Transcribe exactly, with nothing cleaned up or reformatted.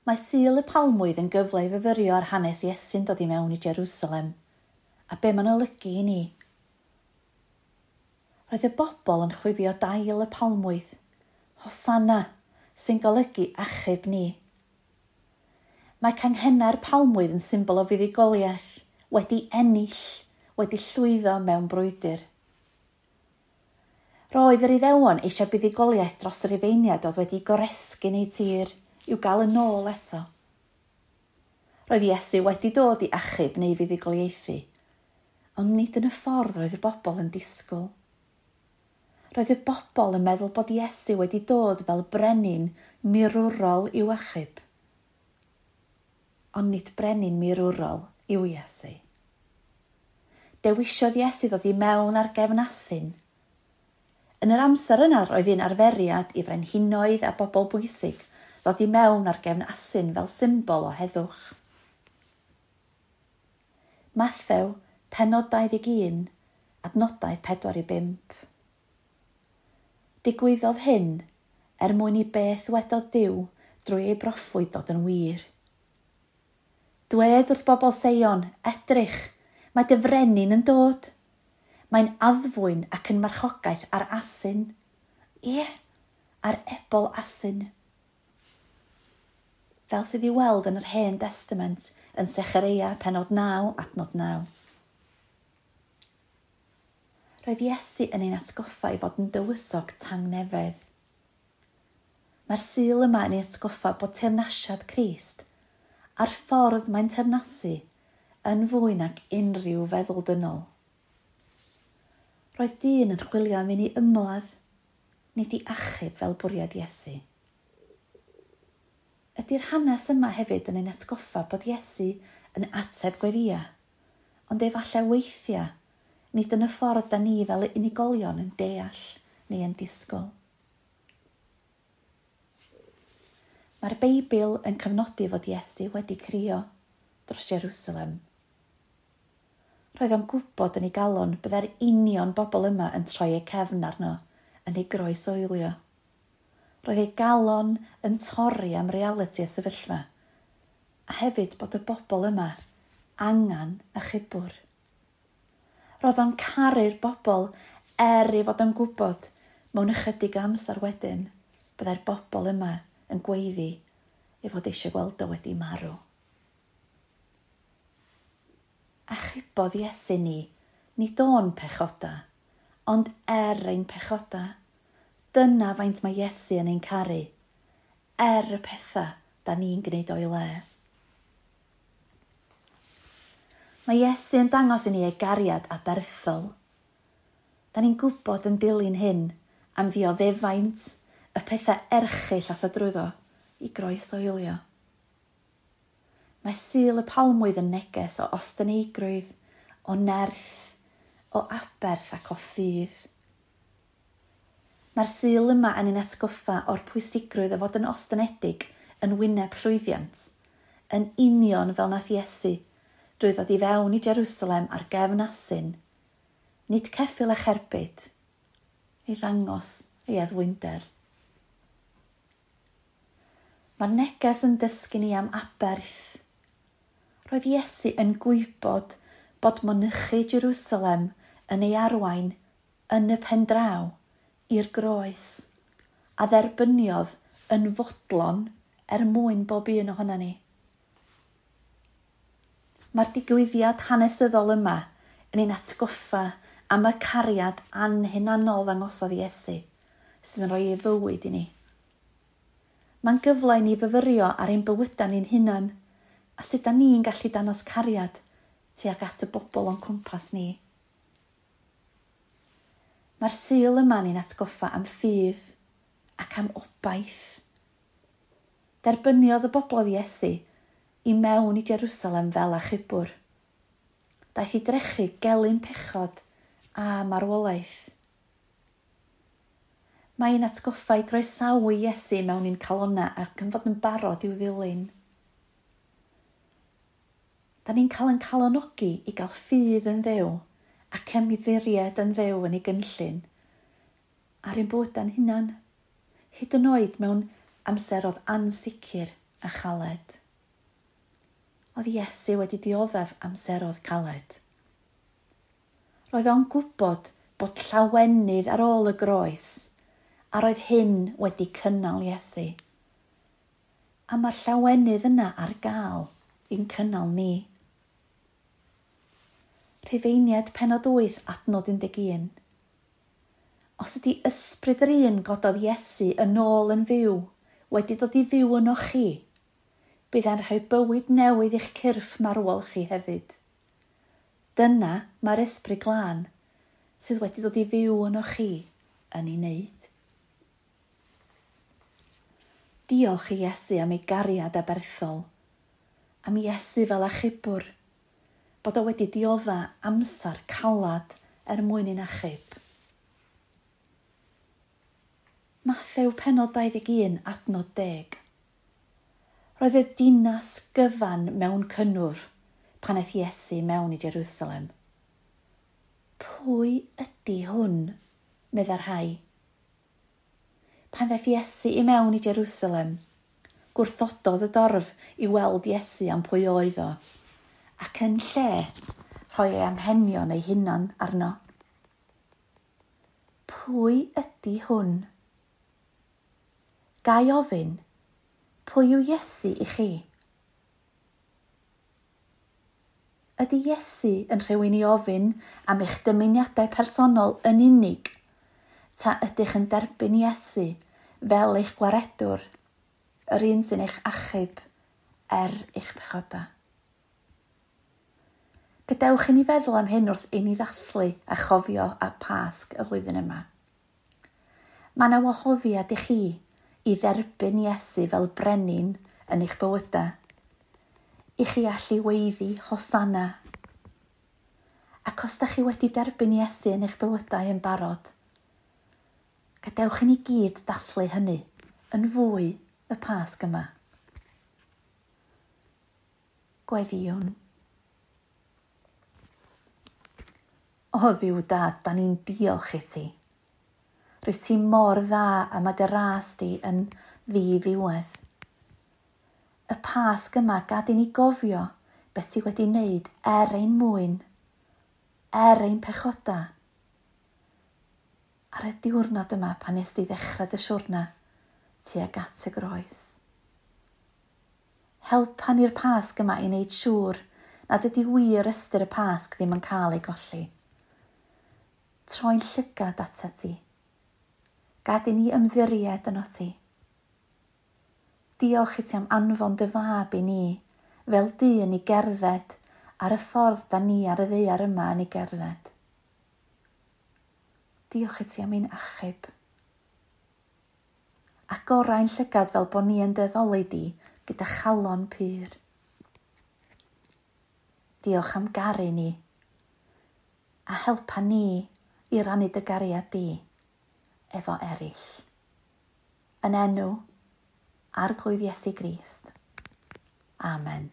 Mae Sul y Palmwydd yn gyfle i fyfyrio ar hanes Iesu'n dod i mewn i Jerusalem, a be mae'n olygu i ni. Roedd y bobl yn chwifio dail y palmwydd, Hosanna, sy'n golygu achub ni. Mae canghennau'r palmwydd yn symbol o fuddugoliaeth, wedi ennill, wedi llwyddo mewn brwydr. Roedd yr Iddewon eisiau buddugoliaeth dros y Rufeiniaid oedd wedi goresgyn eu tir i'w gael yn ôl eto. Roedd Iesu wedi dod i achub neu fuddugoliaethu, ond nid yn y ffordd roedd y bobl yn disgwyl. Roedd y bobl yn meddwl bod Iesu wedi dod fel brenin mirwrol i'w achub. Ond nid brenin mirwrol yw Iesu. Dewisiodd Iesu ddod i mewn ar gefn asyn. Yn yr amser yna roedd un arferiad i frenhinoedd a bobl bwysig ddod i mewn ar gefn asyn fel symbol o heddwch. Mathew, pennod dau ddeg un, adnodau pedwar i bump. Digwyddodd hyn er mwyn i beth wedodd Duw drwy ei broffwyd ddod yn wir. Dwed wrth bobl Seion, edrych, mae dy frenin yn dod. Mae'n addfwyn ac yn marchogaeth ar asyn. Ie, ar ebol asyn. Fel sydd i weld yn yr Hen Testament yn Sechareia pennod naw, adnod naw. Roedd Iesu yn ein atgoffa i fod yn dywysog tangnefedd. Mae'r Sul yma yn ei atgoffa bod teyrnasiad Crist a'r ffordd mae'n teyrnasu yn fwy nag unrhyw feddwl dynol. Roedd dyn yn chwilio am un i ymladd, nid i achub fel bwriad Iesu. Ydy'r hanes yma hefyd yn ein atgoffa bod Iesu yn ateb gweddïa, ond efallai weithiau, nid yn y ffordd da ni fel unigolion yn deall neu yn disgwyl. Mae'r Beibl yn cyfnodi fod Iesu wedi crio dros Jerusalem. Roedd o'n gwybod yn ei galon byddai'r union bobl yma yn troi eu cefn arno, yn ei groesoelio. Roedd ei galon yn torri am realiti y sefyllfa, a hefyd bod y bobl yma angen achubwr. Roedd o'n caru'r bobl er ei fod o'n gwybod mewn ychydig amser wedyn byddai'r bobl yma yn gweiddi ei fod eisiau gweld o wedi marw. Achubodd Iesu ni, nid o'n pechoda, ond er ein pechoda. Dyna faint mae Iesu yn ein caru, er y pethau da ni'n gwneud o'i le. Mae Iesu yn dangos i ni ei gariad aberthol. Da ni'n gwybod yn dilyn hyn am ddioddefaint y pethau erchyll ath o drwyddo i groesoelio. Mae Sul y Palmwydd yn neges o ostyngeigrwydd, o nerth, o aberth ac o ffydd. Mae'r Sul yma yn ein atgoffa o'r pwysigrwydd o fod yn ostynedig yn wyneb llwyddiant, yn union fel nath Iesu, drwy ddod i fewn i Jerusalem ar gefn asyn, nid ceffyl a cherbyd, i ddangos ei addfwynder. Mae'r neges yn dysgu ni am aberth. Roedd Iesu yn gwybod bod mynychu Jerusalem yn ei arwain yn y pen draw i'r groes, a dderbyniodd yn fodlon er mwyn bob un ohonan ni. Mae'r digwyddiad hanesyddol yma yn ein atgoffa am y cariad anhunanol ddangosodd Iesu, sydd yn rhoi ei fywyd i ni. Mae'n gyfle i ni fyfyrio ar ein bywydau ni'n hunan, a sut da ni'n gallu dangos cariad tuag at y bobl o'n cwmpas ni. Mae'r Sul yma ni'n atgoffa am ffydd ac am obaith. Derbyniodd y bobl Iesu i mewn i Jerusalem fel achubwr. Daeth i drechu gelyn pechod a marwolaeth. Mae'n atgoffa i groesawu Iesu mewn i'n calonnau ac yn fod yn barod i'w ddilyn. Da ni'n cael ein calonogi i gael ffydd yn Dduw ac ymddiried yn Dduw yn ei gynllun ar ein bywydau'n hunan, hyd yn oed mewn amseroedd ansicr. a chaled. Oedd Iesu wedi dioddef amseroedd caled. Roedd o'n gwybod bod llawenydd ar ôl y groes, a roedd hyn wedi cynnal Iesu. A mae'r llawenydd yna ar gael i'n cynnal ni. Rhufeiniaid penod wyth adnod un deg un. Os ydy ysbryd yr un gododd Iesu yn ôl yn fyw, wedi dod i fyw yno chi, bydd e'n rhoi bywyd newydd i'ch cyrff marwol chi hefyd. Dyna mae'r ysbryd glân sydd wedi dod i fyw yno chi yn ei wneud. Diolch i Iesu am ei gariad aberthol, am Iesu fel achubwr, bod o wedi diodda amser calad er mwyn i'n achub. Mathew penod dau ddeg un adnod deg. Roedd y dinas gyfan mewn cynnwrf pan aeth Iesu mewn i Jerusalem. Pwy ydy hwn? Meddai'r rhai. Pan ddaeth Iesu i mewn i Jerusalem, gwrthododd y dorf i weld Iesu am pwy oedd o, ac yn lle rhoi ei anghenion ei hunan arno. Pwy ydy hwn? Ga i ofyn, pwy yw Iesu i chi? Ydy Iesu yn rhywun i ofyn am eich dymuniadau personol yn unig, ta ydych yn derbyn Iesu fel eich gwaredwr, yr un sy'n eich achub er eich pechoda? Gadewch i ni feddwl am hyn wrth i ni ddathlu a chofio a Pasg y flwyddyn yma. Mae yna wahoddiad i chi i dderbyn Iesu fel brenin yn eich bywydau, i chi allu weiddi Hosanna. Ac os da chi wedi derbyn Iesu yn eich bywydau yn barod, gadewch i ni gyd dathlu hynny yn fwy y Pasg yma. Gweddïwn. O Dduw Dad, da ni'n diolch i ti. Rwyt ti mor dda a mae dy ras di yn ddiddiwedd. Y Pasg yma, gad i ni gofio beth ti wedi wneud er ein mwyn, er ein pechoda. Ar y diwrnod yma pan nes di ddechrau dy siwrna tuag at y groes. Helpa ni'r Pasg yma i wneud siŵr nad ydy wir ystyr y Pasg ddim yn cael ei golli. Troi'n llygad atat ti. Gad i ni ymddiried yno ti. Diolch i ti am anfon dy fab i ni, fel dyn i gerdded ar y ffordd da ni ar y ddaear yma yn ei gerdded. Diolch i ti am ein achub. Agorau'n llygad fel bod ni yn dyddoli di gyda chalon pur. Diolch am garu ni, a helpa ni i rannu dy gariad di efo eraill. Yn enw Arglwydd Iesu Grist. Amen.